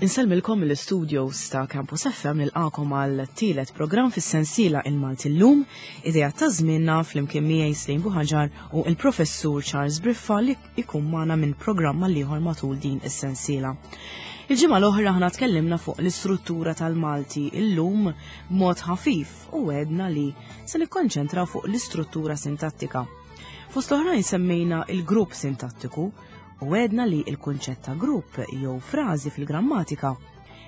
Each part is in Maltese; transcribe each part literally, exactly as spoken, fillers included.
Insellmilkom mill-studios ta' Campus F M, nilqakom għal tielet programm fis-sensiela Il-Malti Llum, idea ta' żmienna, flimkien miegħi Slejn Buħaġar u il-professur Charles Briffa li ikun magħna minn programm għal ieħor matul din is-sensiela. Il-ġimgħa l-oħra aħna tkellimna fuq l-istruttura tal-Malti illum b'mod ħafif u għedna li se nikkonċentraw fuq l-istruttura sintattika. Fost oħrajn semmejna il-grupp sintattiku u għedna li il-kunċett ta' grupp jew frażi fil-grammatika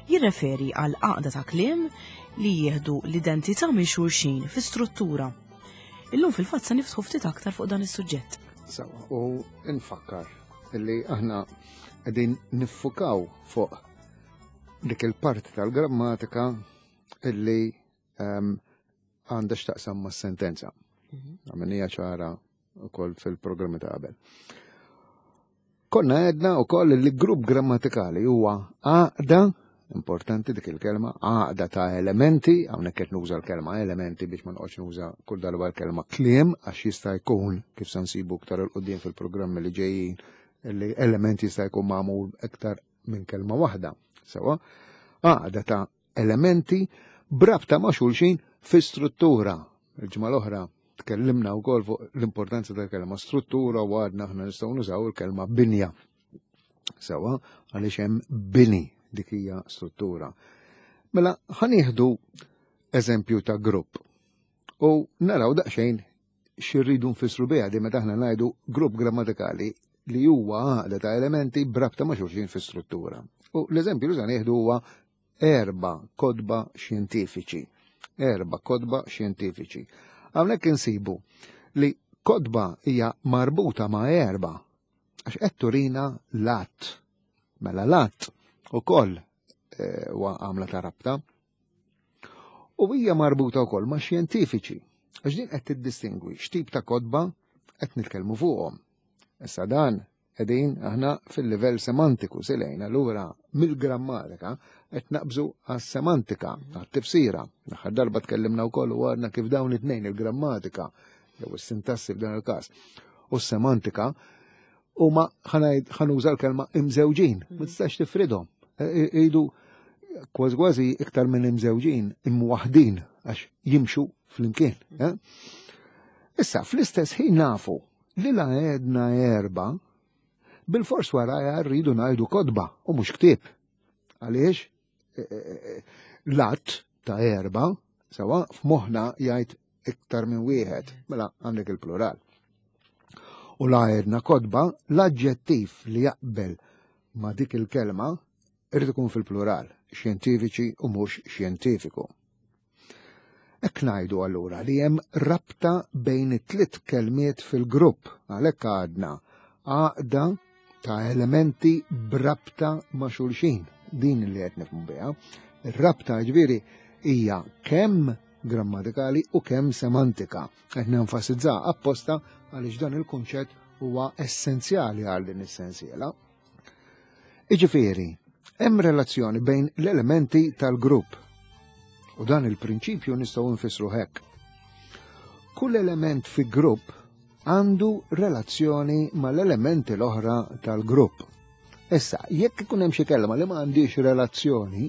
jirreferi għal għaqda ta' kliem li jieħdu l-identità minn xulxin fi struttura. Illum fil-fatt se niftħu ftit aktar fuq dan is-suġġett. Sawa, u nfakkar illi aħna qegħdin niffukaw fuq dik il-parti tal-grammatika illi ehm, għandha x'taqsam mas-sentenza. Għamilnieha ċara ukoll fil-programmi ta' qabel. Konna għedna ukoll li grupp grammatikali huwa għaqda, importanti dik il-kelma, għaqda ta' elementi, hawnhekk qed nuża l-kelma elementi biex ma noqgħodx nuża kull darba l-kelma kliem, għax jista' jkun, kif se nsibu iktar 'il quddiem fil-programmi li ġejjin, li elementi jista' jkun magħmul iktar minn kelma waħda. Sewa, għaqda ta' elementi brabta ma' xulxin fi struttura. Il-ġimgħa l-oħra tkellimna wkoll fuq l-importanza tal-kelma struttura u għadna aħna nistgħu nużaw il-kelma binja. Sewa, għaliex hemm bini, dik hija struttura. Mela ħa nieħdu eżempju ta' grupp u naraw daqsxejn x'irridu nfissru biha di meta aħna ngħidu grupp grammatikali li huwa għaqda ta' elementi brabta ma' xulxin fi struttura. U l-eżempju li se nieħdu huwa erba' kotba xjentifiċi. Erba' kotba xjentifiċi. Hawnhekk insibu li kotba hija marbuta ma' erba' għax qed turina l-għadd. Mela l-għadd ukoll eh, huwa għamla ta' rabta. U hija marbuta wkoll ma' xjentifiċi għax din qed tiddistingwi x'tip ta' kotba qed nitkellmu fuqhom. Issa dan qegħdin aħna fil-livell semantiku silejn, allura mill-grammatika qed naqbżu għas-semantika, għat-tifsira. L-aħħar darba tkellimna wkoll u għadna kif dawn it-tnejn, il-grammatika jew is-sintassi f'dan il-każ u s-semantika, huma, ħa nuża l-kelma, imżewġin, ma tistax tifridhom. Idu kważi kważi iktar minn imżewġin, imwaħdin, għax jimxu flimkien. Eh? Issa, fl-istess ħin nafu li la għedna erba, bil-fors wara rridu ngħidu kotba u mhux ktieb. Għaliex? E, e, e, l-għadd ta' erba, sewa, f'moħħna jgħid iktar minn wieħed, mela għandek il-plural. U la għedna kotba, l-aġġettiv li jaqbel ma' dik il-kelma irid ikun fil-plural, xjentifiċi u mhux xjentifiku. Hekk ngħidu allura li hemm rabta bejn it-tliet kelmiet fil-grupp, għalhekk għadna għaqda ta' elementi brabta ma' xulxin. Din li qed nifhmu biha. Ir-rabta ġifieri hija kemm grammatikali u kemm semantika. Qed nenfasizza apposta għaliex dan il-kunċett huwa essenzjali għal din is-sensiela. Iġifieri, hemm relazzjoni bejn l-elementi tal-grupp. U dan il-prinċipju nistgħu nfissru hekk. Kull element fi grupp għandu relazzjoni mal-elementi l-oħra tal-grupp. Issa, jekk ikun hemm xi kelma li ma għandix relazzjoni,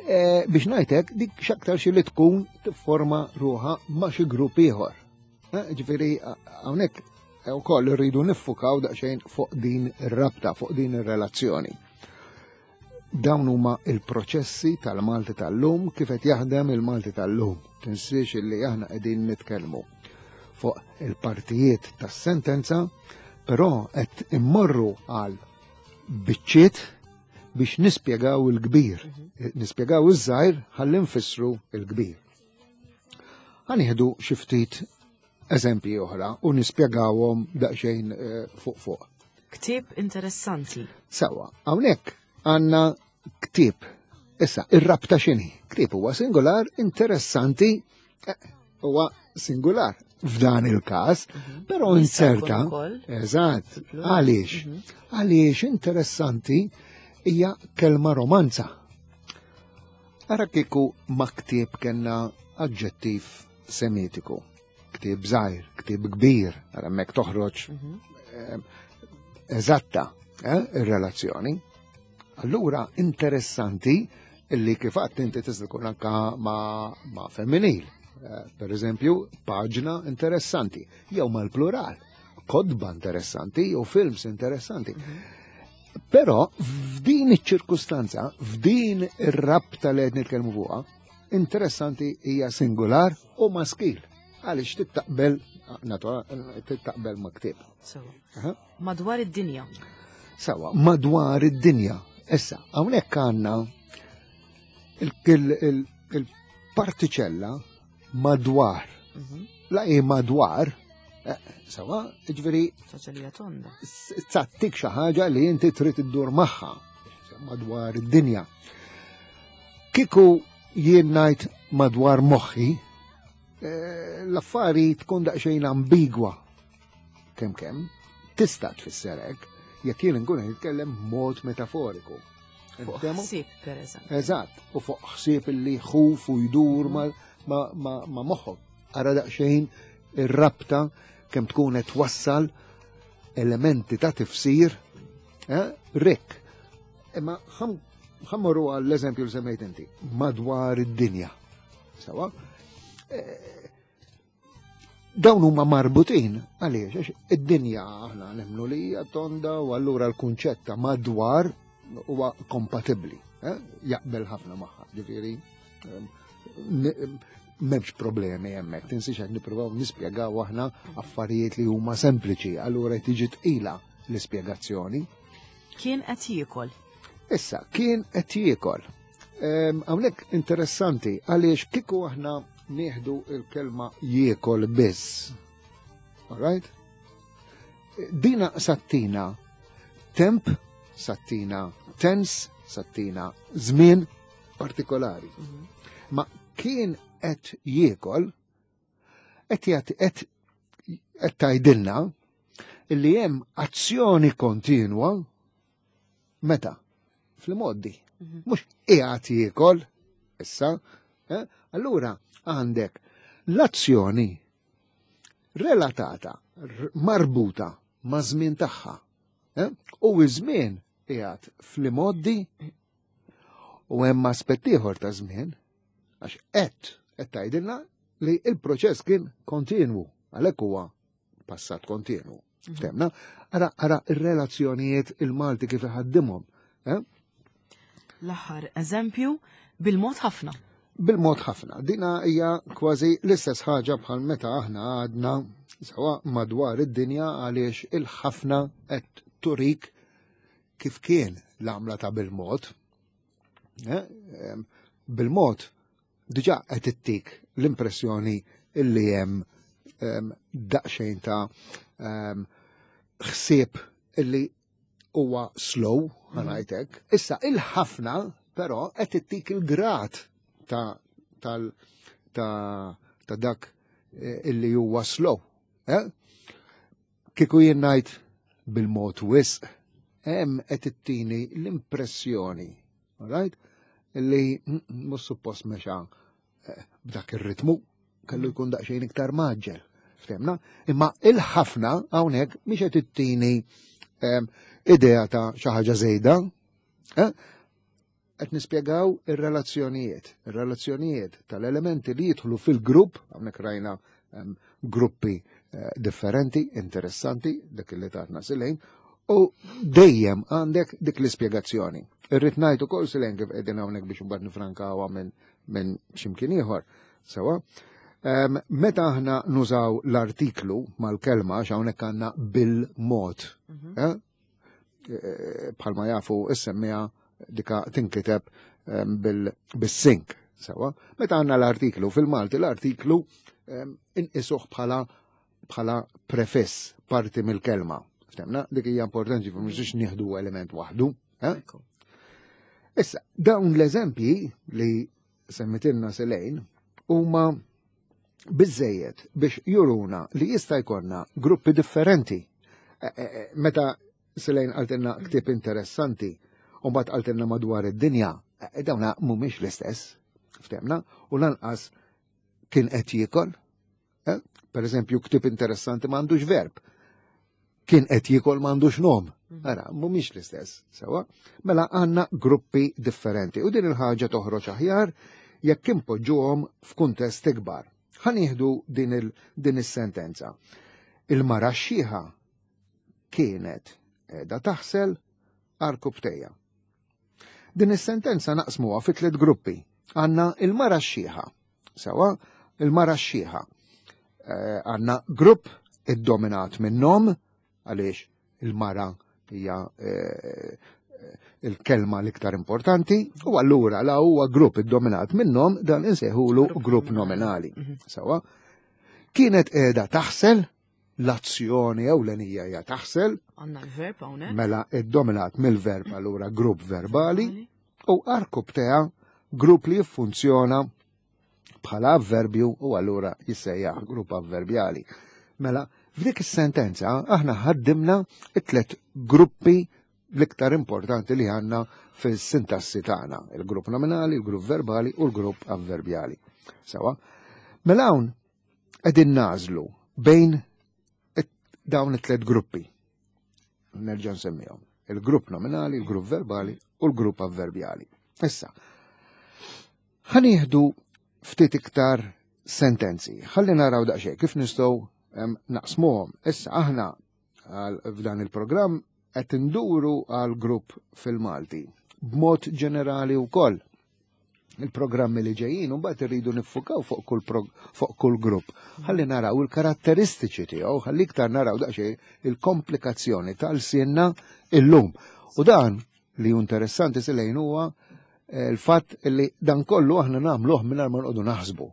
e, biex ngħidlek dik x'aktar xi li tkun tifforma ruħha ma' xi grupp ieħor. Eh, ġifieri hawnhekk ukoll irridu niffukaw daqsxejn fuq din ir-rabta, fuq din ir-relazzjoni. Dawn huma il-proċessi tal-Malti tal-lum, kif qed jaħdem il-Malti tal-lum. Tinsiex illi aħna qegħdin nitkellmu fuq il-partijiet tas-sentenza, però qed immorru għal biċċiet biex nispjegaw il-kbir, nispjegaw iż-żgħir ħalli nfissru il-kbir. Ħa nieħdu xi ftit eżempji oħra u nispjegawhom daqsxejn eh, fuq fuq. Ktieb interessanti. Sawa, hawnhekk għandna ktieb. Issa, ir-rabta x'inhi? Ktieb huwa singular, interessanti eh, huwa singular f'dan il-każ, mhm. però inserta. Eżatt, għaliex? Mhm. Għaliex interessanti hija kelma romanza. Ara kieku ma' ktieb kellna aġġettiv semitiku. Ktieb żgħir, ktieb kbir, ara hemmhekk toħroġ mhm. eh, eżatta eh, ir-relazzjoni. Allura interessanti illi kif għedt inti tista' tkun anka ma', ma femminil. Eh, per eżempju, paġna interessanti, jew mal-plural, kotba interessanti jew films interessanti. Però f'din iċ-ċirkustanza, f'din ir-rabta li qed nitkellmu fuqha, interessanti hija singular u maskil. Għaliex tittaqbel tittaqbel ma' ktieb. Sewa. Madwar id-dinja. Sewa, madwar id-dinja. Issa, hawnhekk għandna il-partiċella madwar. Mhm. La hi madwar, eh, sewa, ġifieri. Ċaċalija tonda. Tagħtik xi ħaġa li inti trid iddur magħha madwar id-dinja. Kieku jien ngħid madwar moħħi, eh, l-affari tkun daqsxejn ambigwa. Kemm kemm, tista' tfisser hekk, jekk jien nkun nitkellem mod metaforiku. Fuq ħsieb, per eżempju. Eżatt, u fuq ħsieb illi jħuf u jdur ma, ma, ma, ma moħħok. Ara daqsxejn ir-rabta kemm tkun qed twassal elementi ta' tifsir eh, rikk. Imma ħa mmorru għall-eżempju li semmejt inti, madwar id-dinja. Sewa? Eh, dawn huma marbutin għaliex għax id-dinja aħna nemmnu li hija tonda u allura l-kunċett ta' madwar huwa kompatibbli, eh? Jaqbel ħafna magħha, ġifieri m'hemmx problemi hemmhekk, tinsiex qed nippruvaw nispjegaw aħna affarijiet li huma sempliċi, allura tiġi tqila l-ispjegazzjoni. Kien qed jiekol. Issa, kien qed jiekol. Hawnhekk interessanti għaliex kieku aħna nieħdu il-kelma jiekol biss. All right? Dina tagħtina temp, tagħtina tens, tagħtina żmien partikolari. Mhm. Ma kien qed jiekol, qed jagħti qed qed tgħidilna illi hemm azzjoni kontinwa meta fil-modi. Mhm. Mhux qiegħed jiekol issa, eh? Allura għandek l-azzjoni relatata, marbuta ma' żmien tagħha. Eh? U iż-żmien qiegħed fl-imgħoddi u hemm aspett ieħor ta' żmien għax qed qed tgħidilna li il-proċess kien kontinwu, għalhekk huwa passat kontinwu. Mhm. Ftemna? Ara, ara ir-relazzjonijiet il-Malti kif iħaddimhom. Eh? L-aħħar eżempju bil-mod ħafna. Bil-mod ħafna. Dina hija kważi l-istess ħaġa bħal meta aħna għadna sewa madwar id-dinja għaliex il-ħafna qed turik kif kien l-għamla ta' bil-mod. Eh? Bil-mod diġà qed ittik l-impressjoni illi hemm daqsxejn ta' ħsieb illi huwa slow, ħa mhm. ngħidlek. Issa il-ħafna però qed ittik il-grad ta' tal ta' ta' dak eh, illi huwa slow. Eh? Kieku jien ngħid bil-mod wisq, hemm qed ittini l-impressjoni, right? Illi mhux suppost mexa eh, b'dak ir-ritmu, kellu jkun daqsxejn iktar mgħaġġel. Ftemna? Imma il-ħafna hawnhekk mhix qed ittini idea ta' xi ħaġa żejda. Eh? Qed nispjegaw ir-relazzjonijiet, ir-relazzjonijiet tal-elementi li jidħlu fil-grupp, hawnhekk rajna gruppi eh, differenti, interessanti, dak li tatna Silejn, u dejjem għandek dik l-ispjegazzjoni. Irrid ngħid ukoll Silejn kif qegħdin hawnhekk biex imbagħad nifrankawha minn min x'imkien ieħor. Sewa. Um, meta aħna nużaw l-artiklu mal-kelma x'hawnhekk għandna bil-mod. Mm -hmm. eh? Bħalma jafu is-semmiegħa dika tinkiteb bil-sink. Sewa. Meta għandna l-artiklu fil-Malti l-artiklu inqisuh bħala bħala prefiss parti mill-kelma. Ftemna, dik hija importanti mhux nieħdu element waħdu. Eh? Issa, dawn l-eżempji li semmitilna Selejn huma biżejjed biex juruna li jista' jkollna gruppi differenti. E, e, e, meta Selejn qaltilna ktieb interessanti u mbagħad qaltilna madwar id-dinja, dawna mhumiex l-istess, ftemna, u lanqas kien qed jiekol. Per eżempju, ktieb interessanti m'għandux verb. Kien qed jiekol m'għandux nom. Ara, mhumiex l-istess, sewa. Mela għandna gruppi differenti u din il-ħaġa toħroġ aħjar jekk impoġġuhom f'kuntest ikbar. Ħa nieħdu din il din is-sentenza. Il-mara x-xiħa kienet qiegħda taħsel għarkupptejha. Din is-sentenza naqsmuha fi tliet gruppi. Għandna il-mara x-xiħa. Sewa, il-mara x-xiħa. Eh, għandna grupp iddominat minn nom, għaliex il-mara hija eh, il-kelma l-iktar importanti, u allura la huwa grupp iddominat minn nom dan insejħulu grupp nominali. Mhm. Sewa, kienet qiegħda taħsel, l-azzjoni ewlenija hija taħsel, Għandna l-verb hawnhekk. mela iddominat mill-verb allura grupp verbali, u għarkupptejha grupp li jiffunzjona bħala avverbju u allura jissejjaħ grupp avverbjali. Mela, f'dik is-sentenza aħna ħaddimna it-tlet gruppi l-iktar importanti li għandna fis-sintassi tagħna, il-grupp nominali, il-grupp verbali u l-grupp avverbjali. Sewa, mela hawn qegħdin nagħżlu bejn it- dawn it-tlet gruppi. Nerġa' nsemmihom. Il-grupp nominali, il-grupp verbali u l-grupp avverbjali. Issa, ħa nieħdu ftit iktar sentenzi. Ħalli naraw daqsxejn kif nistgħu em, naqsmuhom. Issa aħna għal- f'dan il-programm qed induru għal grupp fil-Malti. B'mod ġenerali wkoll. Il-programmi li ġejjin u mbagħad irridu niffukaw fuq kull prog- fuq kull grupp. Ħalli naraw il-karatteristiċi tiegħu, ħalli iktar naraw daqsxejn il-komplikazzjoni tal-lsienna illum. U dan li hu interessanti silejn huwa eh, il-fatt li dan kollu aħna nagħmluh mingħajr ma noqogħdu naħsbu.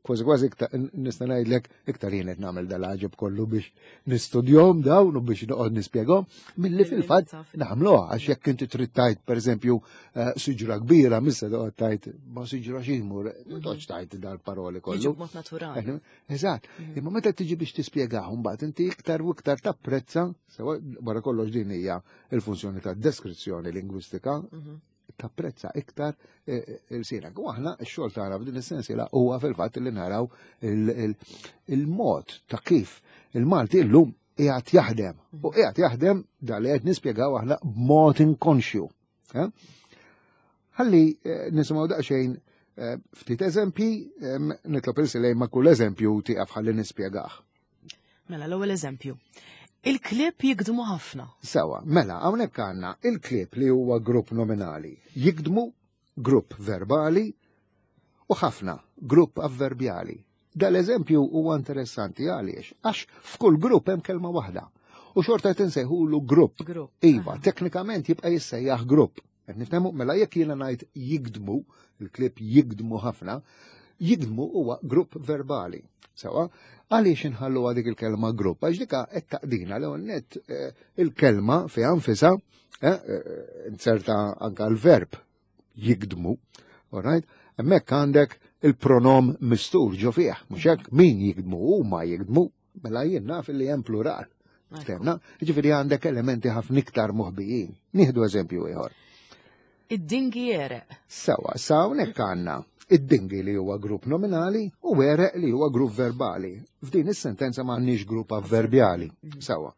Kważi kważi iktar nista' ngħidlek iktar jien qed nagħmel dal-għaġeb kollu biex nistudjahom dawn u biex noqgħod nispjegahom milli fil-fatt nagħmluha għax jekk inti trid tgħid pereżempju eh, siġra kbira missa toqgħod tgħid ma siġra x'imur, ma toqgħodx tgħid dal-paroli kollu. Jiġu b'mod naturali. Eżatt, imma meta tiġi biex tispjegahom mbagħad inti iktar u iktar tapprezza, sewa wara kollox din hija il-funzjoni ta' deskrizzjoni lingwistika, Mhm. tapprezza iktar eh, il-lsienek. U aħna x-xogħol tagħna f'din is-sensiela huwa fil-fatt li naraw il- il- il-mod ta' kif il-Malti illum qiegħed jaħdem. U qiegħed jaħdem da li qed nispjegaw aħna b'mod inkonxju. Eh? Ħalli eh, nisimgħu daqsxejn eh, ftit eżempji, em, nitlob lil Silej ma' kull eżempju tieqaf ħalli nispjegah. Mela l-ewwel eżempju. Il-klieb jigdmu ħafna. Sewa, mela, hawnhekk għandna il-klieb li huwa grupp nominali, jigdmu grupp verbali u ħafna grupp avverbjali. Dal-eżempju huwa interessanti għaliex, għax f'kull grupp hemm kelma waħda. U xorta qed insejħulu grupp. Grupp. Iva, teknikament jibqa' jissejjaħ grupp. Qed niftehmu mela jekk jiena ngħid jigdmu, il-klieb jigdmu ħafna, jigdmu huwa grupp verbali. Sewa, għaliex inħallu dik il-kelma grupp? Għax dika qed taqdina l net eh, il-kelma fiha nfisha, eh, eh, inserta anka l-verb jigdmu, all right? Hemmhekk għandek il-pronom mistur ġo fih, mhux hekk min jigdmu huma jigdmu, mela jien naf li hemm plural. Ftemna? Ġifieri għandek elementi ħafna iktar moħbijin. Nieħdu eżempju ieħor. Id-dingi għereq. Sewa, sa hawnhekk għandna id-dingi li huwa grupp nominali u għereq li huwa grupp verbali. F'din is-sentenza m'għandniex grupp avverbjali. Sewa.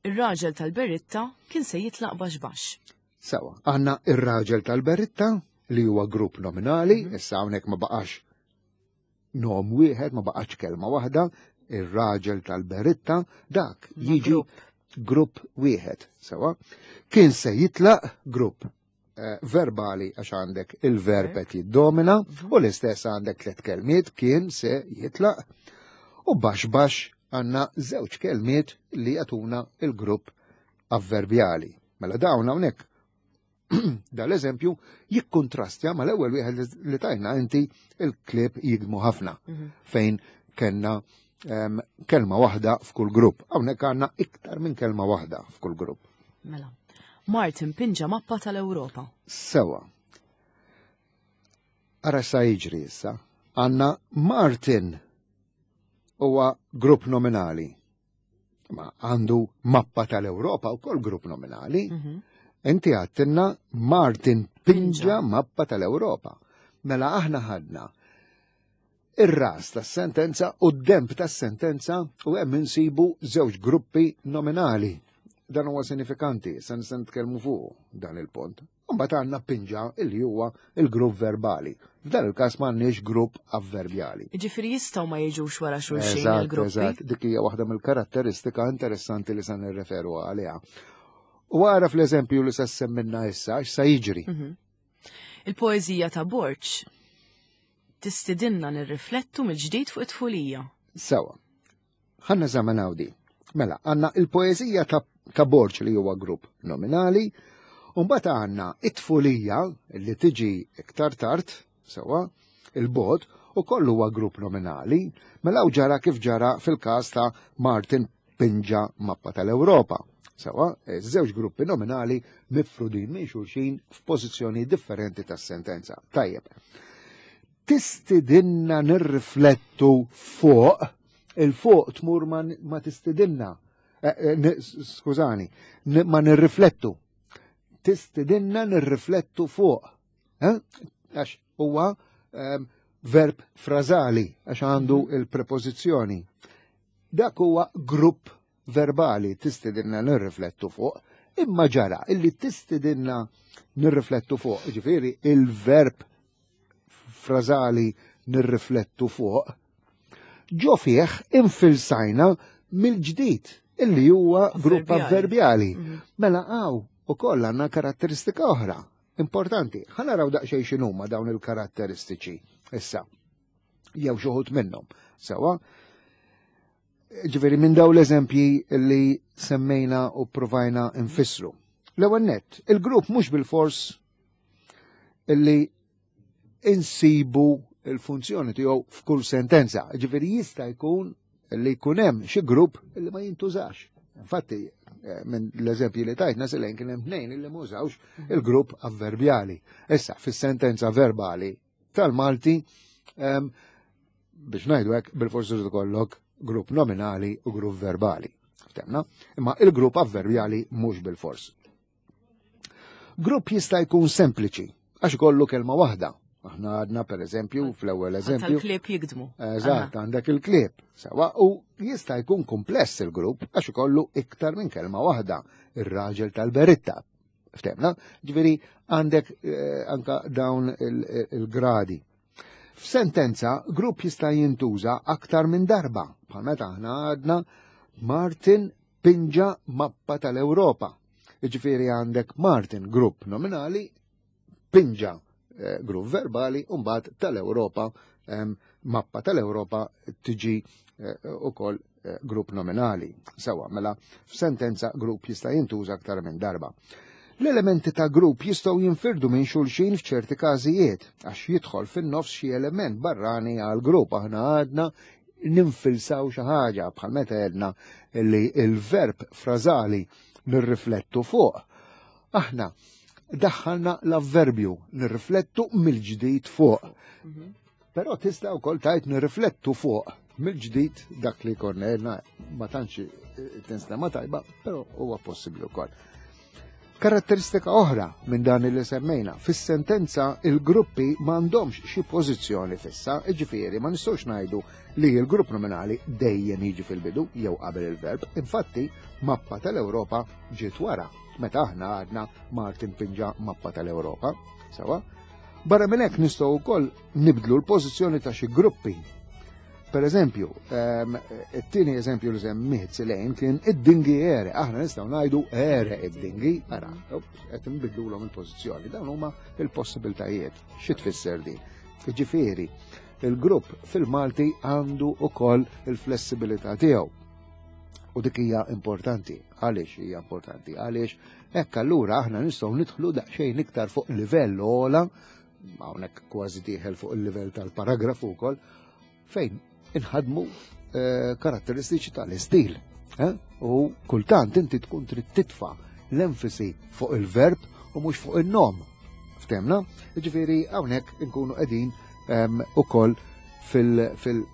Ir-raġel tal-beritta kien se jitlaq baxx baxx. Sewa, għandna ir-raġel tal-beritta li huwa grupp nominali, issa hawnhekk ma baqax nom wieħed, ma baqax kelma waħda, ir-raġel tal-beritta, dak Ma jiġi grupp. grupp wieħed. Sewa, kien se jitlaq grupp eh, verbali għax għandek il-verb qed jiddomina u l-istess għandek tliet kelmiet kien se jitlaq u baxx baxx għandna żewġ kelmiet li jagħtuna il-grupp avverbjali. Mela dawn hawnhekk dal-eżempju jikkontrastja mal-ewwel wieħed li tajna inti il-klieb jigdmu ħafna fejn kellna em, kelma waħda f'kull grupp. Hawnhekk għandna iktar minn kelma waħda f'kull grupp. Mela. Martin pinġa mappa tal-Ewropa. Sewa. Ara sa jiġri issa. Għandna Martin huwa grupp nominali. Ma għandu mappa tal-Ewropa u kol grupp nominali. Inti għedtilna Martin pinġa mappa tal-Ewropa. Mela aħna ħadna Ir-ras tas-sentenza u d-demb tas-sentenza u hemm insibu żewġ gruppi nominali. Dan huwa sinifikanti, se nista' nitkellmu fuq dan il-punt. Mbagħad għandna pinġa illi huwa il-grupp verbali. F'dan il-każ m'għandniex grupp avverbjali. Ġifieri jistgħu ma jiġux wara xulxin Eżatt, il-gruppi. eżatt, dik hija waħda mill-karatteristika interessanti li se nirreferu għaliha. U għara fl-eżempju li se semmilna issa, x'sa jiġri. Mhm. Il-poeżija ta' Borg tistidinna nirriflettu mill-ġdid fuq it-tfulija. Sawa. Ħa neżaminaw di. Mela, għandna il-poeżija ta', ta' Borg li huwa grupp nominali, u mbagħad għandna it-tfulija li tiġi iktar tard, sawa, il-bogħod, u kollu huwa grupp nominali, mela u ġara kif ġara fil-każ ta' Martin Pinġa Mappa tal-Ewropa. Sawa, żewġ gruppi nominali mifrudin minn xulxin f'pożizzjoni differenti tas-sentenza. Tajjeb. Tistidinna nirriflettu fuq, il-fuq tmur ma, ma tistidinna, eh, eh, skużani, ma nirriflettu. Tistidinna nirriflettu fuq. Eh? Għax huwa um, verb frazali, għax għandu mhm. il-prepożizzjoni. Dak huwa grupp verbali tistidinna nirriflettu fuq, imma ġara illi tistidinna nirriflettu fuq, ġifieri il-verb frazali nirriflettu fuq, ġo fih infilsajna mill-ġdid illi huwa grupp avverbjali. Mhm. Mela għaw u koll għandna karatteristika oħra importanti. Ħa naraw daqsxejn x'inhuma dawn il-karatteristiċi issa. Jew xi wħud minnhom. Sewa, ġifieri minn daw l-eżempji li semmejna u provajna nfissru. L-ewwel nett, il-grupp mhux bil-fors illi insibu il-funzjoni tiegħu f'kull sentenza. Ġifieri jista' jkun li jkun hemm xi grupp li ma jintużax. Infatti, eh, minn l-eżempji li tajtna Selene kien hemm tnejn illi mużawx il-grupp avverbjali. Issa, fis-sentenza verbali tal-Malti, biex ngħidu hekk bil-forsi ikollok grupp nominali u grupp verbali. Ftemna? Imma il-grupp avverbjali mhux bil-fors. Grupp jista' jkun sempliċi, għax kollu kelma waħda. Aħna għadna per eżempju, fl-ewwel eżempju. Tal-klieb jigdmu. Eżatt, għandek il-klieb. Sawa, u jista' jkun kompless il-grupp għax ikollu iktar minn kelma waħda. Ir-raġel tal-beritta. Ftemna? Ġifieri għandek eh, anka dawn il-gradi. F'sentenza, grupp jista' jintuża aktar minn darba. Bħal meta aħna għadna Martin pinġa mappa tal-Ewropa. Ġifieri għandek Martin grupp nominali, pinġa eh, grupp verbali, u mbagħad tal-Ewropa, mappa tal-Ewropa tiġi eh, ukoll eh, grupp nominali. Sawa, mela f'sentenza grupp jista' jintuża aktar minn darba. L-elementi ta' grupp jistgħu jinfirdu minn xulxin f'ċerti każijiet, għax jidħol fin-nofs xi element barrani għal grupp. Aħna għadna ninfilsaw xi ħaġa bħal meta għedna li il-verb frażali nirriflettu fuq. Aħna daħħalna l-avverbju nirriflettu mill-ġdid fuq. Mhm. Però tista' wkoll tajt nirriflettu fuq mill-ġdid dak li konna għedna, ma tantx tinstema tajba, però huwa possibbli wkoll. Karatteristika oħra minn dan li semmejna, fis-sentenza il-gruppi m'għandhomx xi pożizzjoni fissa, ġifieri ma nistgħux ngħidu li l-grupp nominali dejjem jiġi fil-bidu jew qabel il-verb. Infatti, mappa tal-Ewropa ġiet wara, meta aħna għadna Martin pinġa mappa tal-Ewropa. Sawa? Barra minn hekk nistgħu wkoll nibdlu l-pożizzjoni ta' xi gruppi. Per eżempju, ehm, it-tieni eżempju li semmiet Selene kien id-dingi għereq. Aħna nistgħu ngħidu għereq id-dingi, ara, qed nbidlulhom il-pożizzjoni. Dawn huma il-possibiltajiet. Xi tfisser din? Ġifieri, il-grupp fil-Malti għandu ukoll il-flessibilità tiegħu. U dik hija importanti. Għaliex hija importanti? Għaliex hekk allura aħna nistgħu nidħlu daqsxejn iktar fuq livell ogħla, hawnhekk kważi dieħel fuq il-livell tal-paragrafu wkoll, fejn inħadmu eh, karatteristiċi tal-istil. Eh? U kultant inti tkun trid titfa' l-enfasi fuq il-verb u mhux fuq il-nom. Ftemna? Ġifieri hawnhekk inkunu qegħdin ehm, ukoll fil- fil-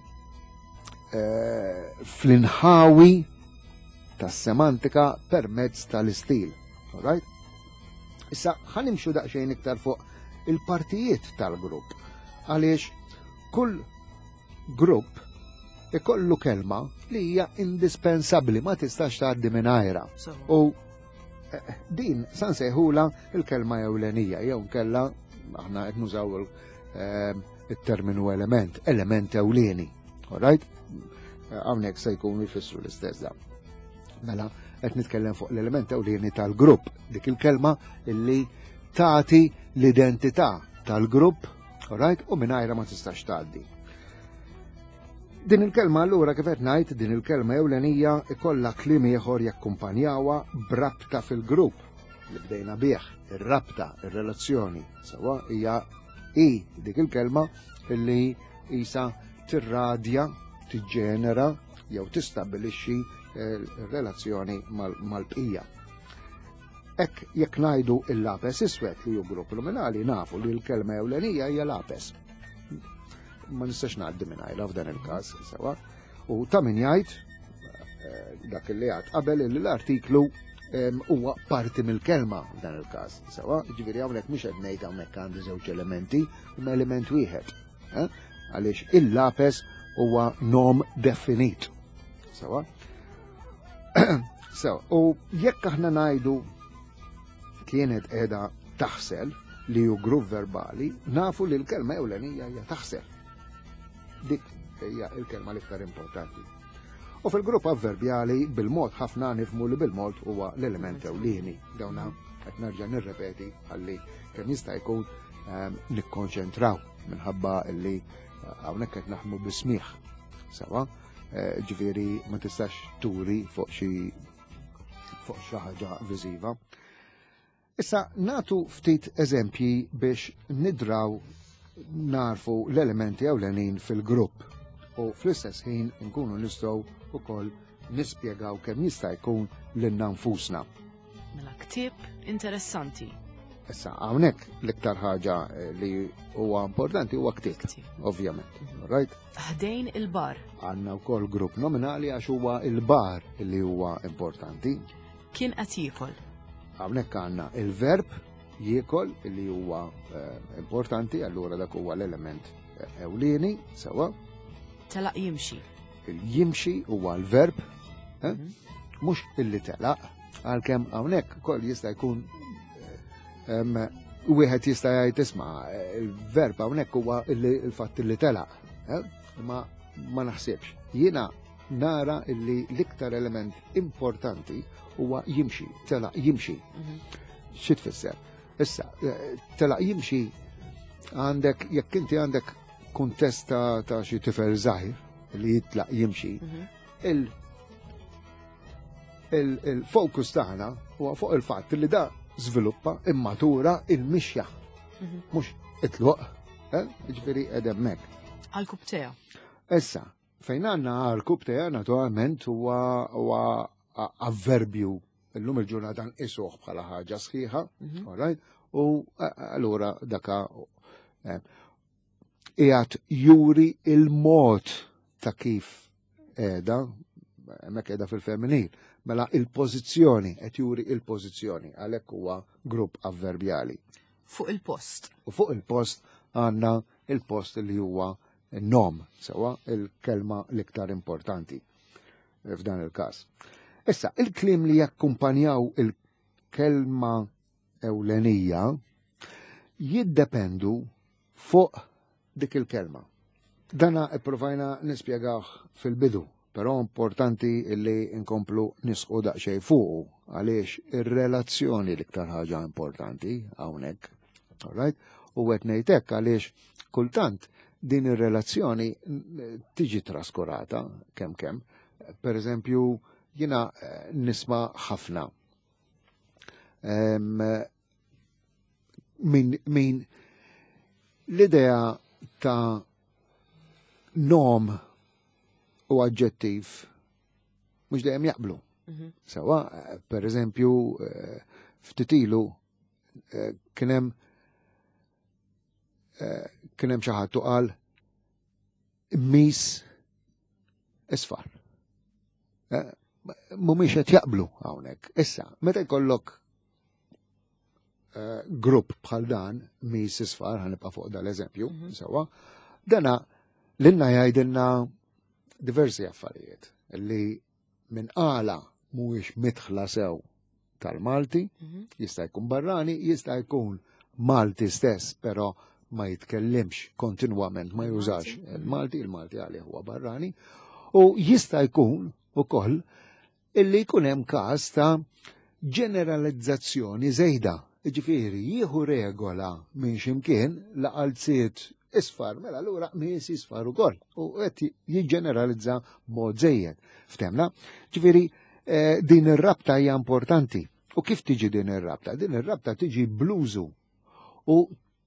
eh, fl-inħawi tas-semantika permezz tal-istil. Alright? Issa ħa nimxu daqsxejn iktar fuq il-partijiet tal-grupp. Għaliex kull grupp ikollu kelma li hija indispensabbli, ma tistax tgħaddi mingħajrha. U eh, din sa nsejħula il-kelma ewlenija, jew nkella aħna qed nużaw eh, il-terminu element, element ewlieni. Alright? Hawnhekk se jkunu jfissru l-istess da. Mela, qed nitkellem fuq l-element ewlieni tal-grupp, dik il-kelma illi tagħti l-identità tal-grupp, alright? U mingħajrha ma tistax tgħaddi. Din il-kelma allura, kif qed ngħid, din il-kelma ewlenija ikollha kliem ieħor jakkumpanjawha b'rabta fil-grupp li bdejna bih, ir-rabta, ir-relazzjoni. Sewwa, hija i dik il-kelma illi isa tirradja, tiġġenera jew tistabbilixxi relazzjoni mal-bqija. Ek jekk ngħidu il-lapes iswed, li hu grupp nominali, nafu li l-kelma ewlenija hija lapes. Ma nistax ngħaddi mingħajrha f'dan il-każ, sewwa. U ta' min jgħid eh, dak li għad qabel li l-artiklu huwa parti mill-kelma f'dan il-każ. Sewwa, ġifieri hawnhekk mhux qed ngħid hawnhekk għandi żewġ elementi, imma element wieħed. Eh? Għaliex il-lapes huwa nom definit. Sewwa. So, u jekk aħna ngħidu kienet qiegħda taħsel, li hu grupp verbali, nafu li l-kelma ewlenija hija taħsel. Dik hija l-kelma l-iktar importanti. U fil-grupp avverbjali bil-mod ħafna nifhmu li bil-mod huwa l-element ewlieni. Dawna qed nerġa' nirrepeti għalli kemm jista' jkun ehm, nikkonċentraw minħabba li eh, hawnhekk qed naħdmu bis-smigħ. Sewwa, eh, ġifieri ma tistax turi fuq xi fuq xi ħaġa viżiva. Issa natu ftit eżempji biex nidraw narfu l-elementi ewlenin fil-grupp u fl-istess ħin nkunu nistgħu ukoll nispjegaw kemm jista' jkun lilna nfusna. Mela, ktieb interessanti. Issa hawnhekk l-iktar ħaġa eh, li huwa importanti huwa ktieb, ovvjament. Right? Ħdejn il-bar. Għandna wkoll grupp nominali għax huwa il-bar li huwa importanti. Kien qed jiekol. Hawnhekk għandna il-verb jiekol li huwa eh, importanti, allura dak huwa l-element eh, ewlieni, sewwa. Telaq jimxi. Il-jimxi huwa l-verb, eh? Mhux illi telaq, għalkemm hawnhekk ukoll jista' jkun em, wieħed jista' jgħid, isma', il-verb hawnhekk huwa il-fatt illi telaq, eh? Ma ma naħsibx. Jiena nara illi l-iktar element importanti huwa jimxi, telaq jimxi. Xi tfisser? Issa, eh, telaq jimxi għandek, jekk inti għandek kuntest ta' ta' xi tifel żgħir li jitlaq jimxi, il- il- il-fokus tagħna huwa fuq il-fatt li da żviluppa, immatura il-mixja, mhux it-tluq, eh? Ġifieri qed hemmhekk. Għarkupptejha. Issa, fejn għandna għarkupptejha, naturalment huwa huwa avverbju, illum il-ġurnata nqisuh bħala ħaġa sħiħa, all right? U eh, allura daka eh, qiegħed juri il-mod ta' kif qiegħda, hemmhekk qiegħda fil-femminil, mela il-pożizzjoni, qed juri il-pożizzjoni, għalhekk huwa grupp avverbjali. Fuq il-post. U fuq il-post għandna il-post li huwa nom, sewwa, il-kelma l-iktar importanti f'dan il-każ. Issa, il-kliem li jakkumpanjaw il-kelma ewlenija jiddependu fuq dik il-kelma. Dana ipprovajna nispjegawh fil-bidu, però importanti illi nkomplu nisqu daqsxejn fuqu għaliex ir-relazzjoni l-iktar ħaġa importanti hawnhekk. All right? U qed ngħid għaliex kultant din ir-relazzjoni tiġi traskurata kemm kemm. Per eżempju, jiena eh, nisma' ħafna Em, min, min l-idea ta' nom u aġġettiv mhux dejjem jaqblu. Sewwa, eh, per eżempju, eh, ftit ilu eh, kien hemm eh, kien hemm xi ħadd u qal mis isfar. Eh, Mhumiex qed jaqblu hawnhekk. Issa, meta jkollok eh, grupp bħal dan, mis isfar, ħa nibqa' fuq dal-eżempju, sewwa, dana Lilna jgħidilna diversi affarijiet li minn qala mhuwiex midħla sew tal-Malti, Mhm. jista' jkun barrani, jista' jkun Malti stess, però ma jitkellimx kontinwament, ma jużax il-Malti, il-Malti għalih huwa barrani, u jista' jkun ukoll illi jkun hemm każ ta' ġeneralizzazzjoni żejda. Ġifieri jieħu regola minn ximkien la qalziet isfar, mela allura qmis isfar ukoll u qed jiġġeneralizza b'mod żejjed. Ftemna? Ġifieri eh, din ir-rabta hija importanti. U kif tiġi din ir-rabta? Din ir-rabta tiġi bl-użu u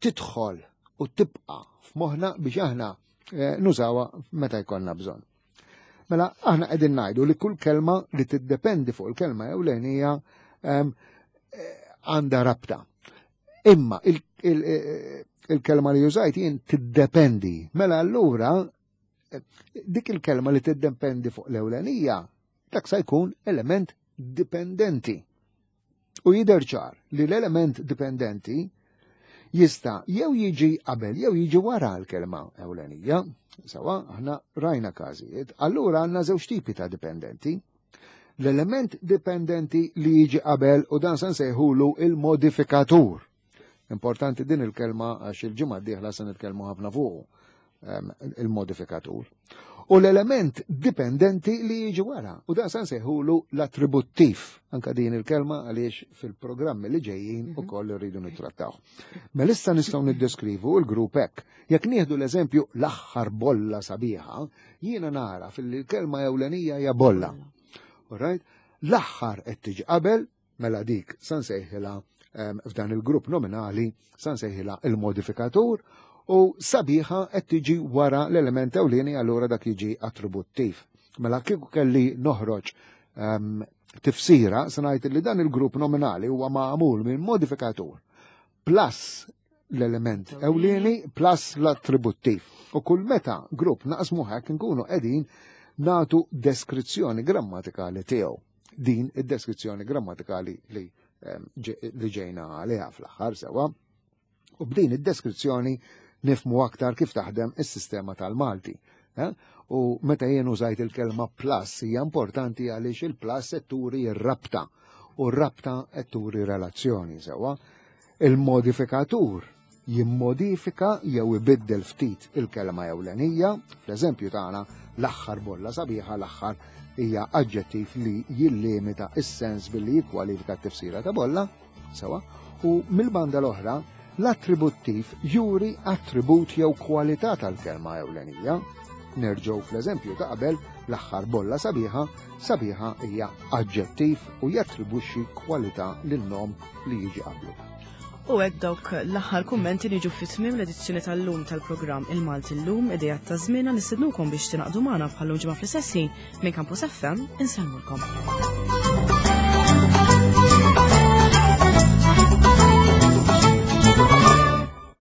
tidħol u tibqa' f'moħħna biex aħna eh, nużawha meta jkollna bżonn. Mela aħna qegħdin ngħidu li kull kelma li tiddependi fuq il-kelma ewlenija ehm, eh, għandha rabta. Imma il- il- eh, il-kelma li użajt jien tiddependi. Mela allura eh, dik il-kelma li tiddependi fuq l-ewlenija dak sa jkun element dipendenti. U jidher ċar li l-element dipendenti jista' jew jiġi qabel jew jiġi wara l-kelma ewlenija. Sawa, aħna rajna każijiet. Allura għandna żewġ tipi ta' dipendenti. L-element dipendenti li jiġi qabel u dan se nsejħulu il-modifikatur. Importanti din il-kelma għax il-ġimgħa d-dieħla se nitkellmu ħafna fuq ehm, il-modifikatur. U l-element dipendenti li jiġi wara. U dan se nsejħulu l-attributtiv. Anka din il-kelma għaliex fil-programmi li ġejjin ukoll irridu nittrattaw. Mela issa nistgħu niddeskrivu l-grupp hekk. Jekk nieħdu l-eżempju l-aħħar bolla sabiħa, jiena nara fil-kelma ewlenija hija bolla. Alright? L-aħħar qed tiġi qabel, mela dik sa nsejħilha em, f'dan il-grupp nominali sa nsejħilha il-modifikatur u sabiħa qed tiġi wara l-element ewlieni, allura dak jiġi attributtiv. Mela kieku kelli noħroġ em, tifsira, se ngħid li dan il-grupp nominali huwa magħmul minn modifikatur plus l-element ewlieni plus l-attributtiv. U kull meta grupp naqsmu hekk nkunu qegħdin natu deskrizzjoni grammatikali tiegħu. Din id-deskrizzjoni grammatikali li em, ġe- li ġejna għaliha fl-aħħar sewa. U b'din id-deskrizzjoni nifmu aktar kif taħdem is-sistema tal-Malti. Eh? U meta jien użajt il-kelma plus hija importanti għaliex il-plus qed turi r-rabta u r-rabta qed turi relazzjoni sewa. Il-modifikatur jimmodifika jew ibiddel ftit il-kelma ewlenija, fl-eżempju tagħna l-aħħar bolla sabiħa, l-aħħar hija aġġettiv li jillimita is-sens billi jikkwalifika t-tifsira ta' bolla, sewa, u mill-banda l-oħra l-attributtiv juri attribut jew kwalità tal-kelma ewlenija. Nerġgħu fl-eżempju ta' qabel, l-aħħar bolla sabiħa, sabiħa hija aġġettiv u jattribwixxi kwalità lin-nom li jiġi qablu. U hekk dawk l-aħħar kummenti niġu fi tmiem l-edizzjoni tal-lum tal-programm Il-Malti Llum, idejat ta' żmienna. Nistednukom biex tingħaqdu magħna bħal ġimgħa fl-istess ħin minn Campus F M. Insellmulkom.